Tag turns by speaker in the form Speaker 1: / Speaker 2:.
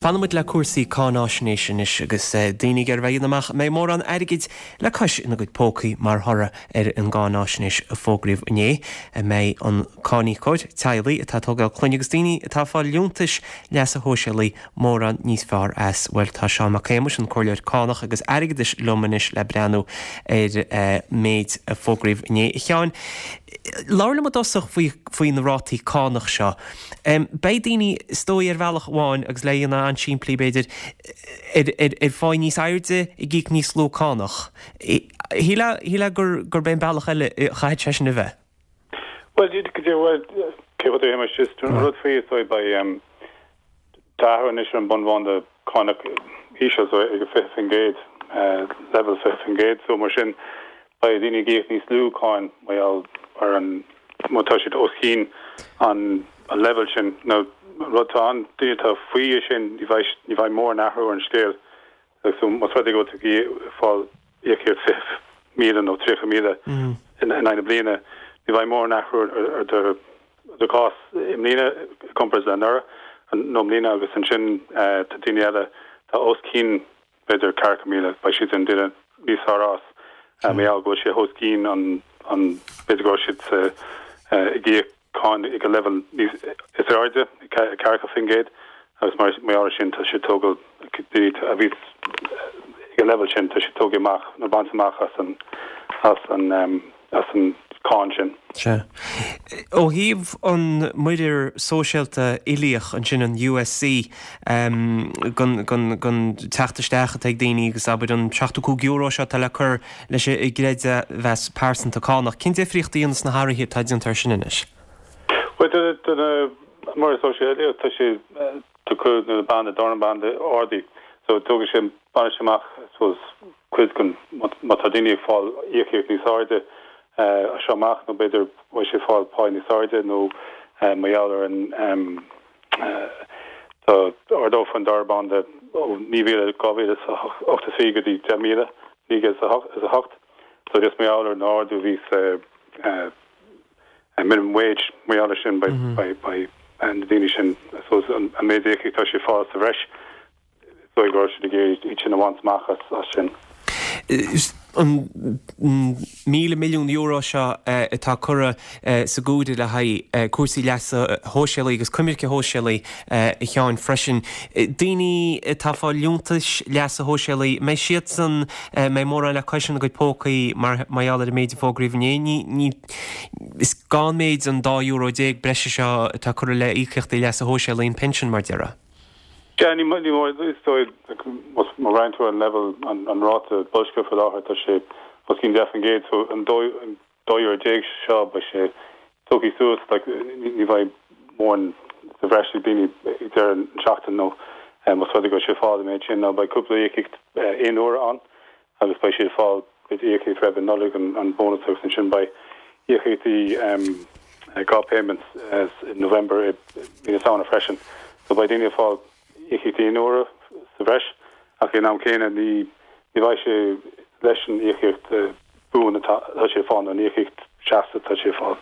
Speaker 1: Fanfaidh muid le cúrsaí cáináisnéise anois agus daoine ag iarraidh a bheith a dhéanamh amach an mbeidh mórán airgid le cois ina gcuid pócaí mar thoradh ar an gcáináisnéis a fógraíodh inné. An mbeidh an cáiníocóir, teaghlaigh atá ag tógáil clainne agus daoine atá ag fáil liúntais leasa shóisialaigh mórán níos fearr as? Bhuel, tá Seán Mac Shéamuis, an Comhairleoir Cánach agus Airgeadais liom anois le breathnú ar méid a fógraíodh inné. A Sheáin, labhair liom i dtosach faoi na rátaí cánach seo. Beidh daoine, is dóigh, ar bhealach amháin, agus le dhéanamh an-simplí b'fhéidir, ar pháí níos airde ag íoc níos lú cánach. Shílfeá gurb é an bealach eile a chaithfidh sé sin a bheith.
Speaker 2: Bhuel, bhuel, cé chomh Shéamais, just an rud faoi is dóigh, beidh, tá athrú anois ar an bunbhanda cánach íseal so ag 20%, leibhéal 20%, so mar sin beidh daoine ag íoc níos lú cáin mar gheall ar an, má tá siad os cionn an leibhéal sin. Now an rud atá ann, daoine atá faoi é sin, ní bheidh, ní bheidh mórán athrú ar an scéal. So más rud é go bhfuil tú ag fáil íocaíocht 20,000 nó 30,000 in aghaidh na bliana, ní bheidh mórán athrú ar do do chás i mbliana i gcomparáid le anuraidh nó i mbliana agus ansin tá daoine eile atá os cionn b'fhéidir 40,000, beidh siad ag déanamh níos fearr as mar gheall go bhfuil sé os cionn an, an, b'fhéidir go raibh siad sa, ag íoc cáin ag an leibhéal níos, is airde, 40% agus mar gheall ar sin tá siad tógáil, daoine a bhí ag an leibhéal sin, tá siad tógtha amach nó bainte amach as an, as an. as an cáin sin.
Speaker 1: Sea. Ó thaobh an muirear sóisialta uilíoch ansin, an USC, den teacht isteach atá ag daoine agus abair an €75 seo atá le cur leis an gcreidmheas pearsanta cánach, cén difríocht a dhéanfas na hathruithe atá déanta air sin anois?
Speaker 2: Bhuel, do na muirear sóisialta uilíoch, tá sé, tá cuid na banda, dara banda ardaithe, so tógfaidh sé, bainfidh sé amach, I suppose, cuid den, má tá daoine ag fáil íocaíocht níos airde as seo amach nó b'fhéidir beidh siad ag fáil pá níos airde nó mar gheall ar an tá ardófar an dara banda ó 9,000, 2,083 go dtí 10,908 so just mar gheall ar an ardú a bhí sa minimum wage mar gheall ar sin beidh beidh na daoine sin I suppose an méid íocaíocht atá siad ag fáil sa bhreis Is dóigh go raibh siad ag iarraidh iad sin a bhaint amach as sin.
Speaker 1: An €1,000 milliún seo atá curtha sa gcomhaireamh le haghaidh cúrsaí leasa shóisialaigh agus coimirce shóisialaí, a Sheáin, freisin. Daoine atá ag fáil liúntais leasa shóisialaigh, an mbeidh siadsan, an mbeidh mórán le cois ina gcuid pócaí mar gheall ar an méid a fógraíodh inné? Ní, is gann méid an €12 breise seo atá curtha le íocaíochtaí leasa shóisialaigh, an pinsean, mar déarfá.
Speaker 2: Sea, ní mór, is dóigh, má bhreathnaíonn tú ar an leibhéal, an ráta boilscithe faoi láthair, tá sé os cionn 10%, so an €12 seo, beidh sé tógtha suas, like, ní bheidh mórán sa bhreis ag daoine ag deireadh an tseachtain nó más rud é go bhfuil siad ag fáil an méid sin, nó beidh cúpla íocaíocht aon uaire ann. agus beidh siad ag fáil b'fhéidir íocaíocht roimh an Nollaig, an bónas agus ansin beidh íocaíochtaí gap payments i November i mí na Samhna freisin. So beidh daoine ag fáil íocaíochtaí aon uaire sa bhreis ach ag an am céanna ní ní bheidh sé leis an íocaíocht buan atá siad ag fáil nó an íocaíocht seasta atá siad ag fáil.